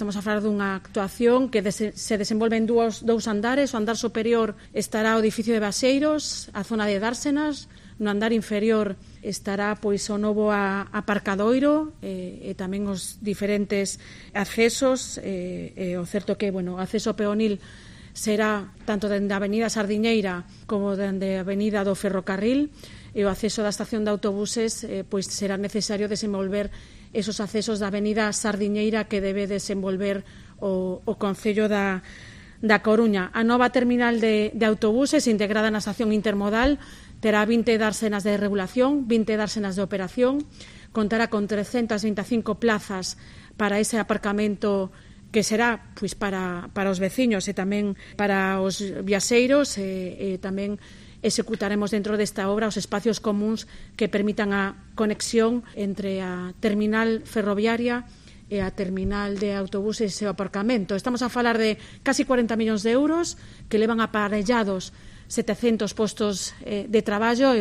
Estamos a falar dunha actuación que se desenvolve en dous andares. O andar superior estará o edificio de Baxeiros, a zona de Dársenas. No andar inferior estará pois o novo aparcadoiro e tamén os diferentes accesos. O certo que o acceso peonil será tanto dende a avenida Sardiñeira como dende a avenida do Ferrocarril, e o acceso da estación de autobuses pois será necesario desenvolver esos accesos da avenida Sardiñeira que debe desenvolver o Concello da Coruña. A nova terminal de autobuses integrada na estación intermodal terá 20 dársenas de regulación, 20 dársenas de operación, contará con 325 plazas para ese aparcamento que será pois para os veciños e tamén para os viaxeiros, e tamén executaremos dentro desta obra os espacios comuns que permitan a conexión entre a terminal ferroviaria e a terminal de autobuses e o aparcamento. Estamos a falar de casi 40 millóns de euros que levan aparellados 700 postos de traballo e